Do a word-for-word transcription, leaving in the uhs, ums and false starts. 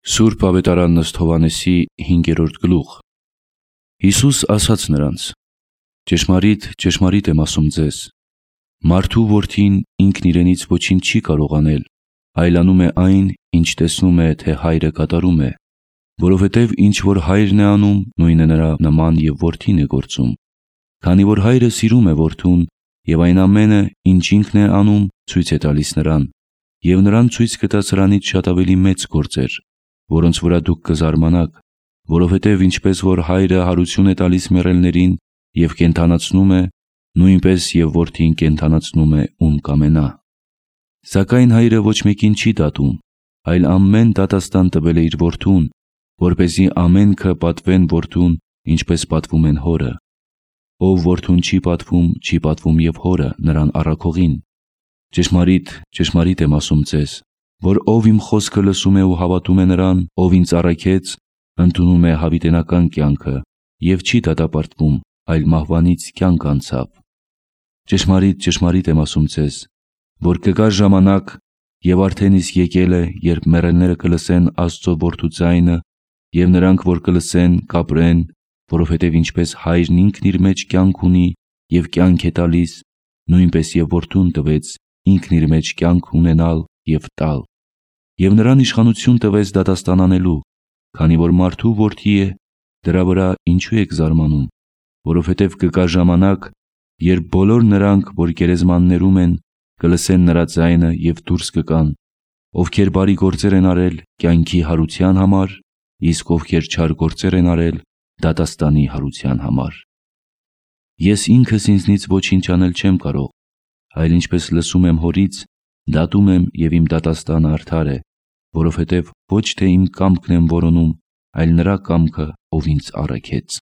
Սուրբ Ավետարան ըստ Հովհաննեսի հինգերորդ գլուխ։ Հիսուս ասաց նրանց. «Ճշմարիտ, ճշմարիտ եմ ասում ձեզ, մարդու որդին ինքն իրենից ոչինչ չի կարող անել, այլ անում է այն, ինչ տեսնում է, թե հայրը կատարում է, որովհետև ինչ որ հայրն է անում, նույնը նրա նման և որդին է գործում, քանի որ հայրը սիրում է որդուն և այն ամենը, ինչ ինքն է անում, ցույց է տալիս նրան, և նրան ցույց կտա սրանից շատ ավելի մեծ գործեր, որոնց վրա դուք կզարմանաք, որովհետև ինչպես որ հայրը հարություն է տալիս մեռելներին և կենդանացնում է, նույնպես և որդին կենդանացնում է, ում կամենա։ Սակայն հայրը ոչ մեկին չի դատում, այլ ամեն դատաստան տվել է իր որդուն, որպեսզի ամենքը պատվեն որդուն, ինչպես պատվում են հորը։ Ով որդուն չի պատվում, չի պատվում և հորը, նրան առաքողին։ Ճշմարիտ, ճշմարիտ եմ ասում ձեզ, որ ով իմ խոսքը լսում է ու հավատում է նրան, ով ինձ առաքեց, ընդունում է հավիտենական կյանքը և չի դատապարտվում, այլ մահվանից կյանք անցավ։ Ճշմարիտ, ճշմարիտ եմ ասում ձեզ, որ կգա ժամանակ, և արդեն իսկ եկել է, երբ մեռելները կլսեն Աստծո Որդու ձայնը, և նրանք, որ կլսեն, կապրեն, որովհետև ինչպես հայրն ինքն իր մեջ կյանք ունի և կյանք է տալիս, նույնպես և որդուն տվեց ինքն իր մեջ կյանք ունենալ և տալ։ Եվ նրան իշխանություն տվեց դատաստան անելու, քանի որ մարդու որդի է, դրա վրա ինչու եք զարմանում, որովհետև կգա ժամանակ, երբ բոլոր նրանք, որ գերեզմաններում են, կլսեն նրա ձայնը և դուրս կգան, ովքեր բարի գործեր են արել կյանքի հարության համար, իսկ ովքեր չար գործեր են արել դատաստանի հարության համար։ Ես ինքս ինձնից ոչինչ անել չեմ կարող, այլ ինչպես լսում եմ հորից, դատում եմ և իմ դատաստանը արդար է, որովհետև ոչ թե իմ կամքն եմ որոնում, այլ նրա կամքը, ով ինձ առաքեց։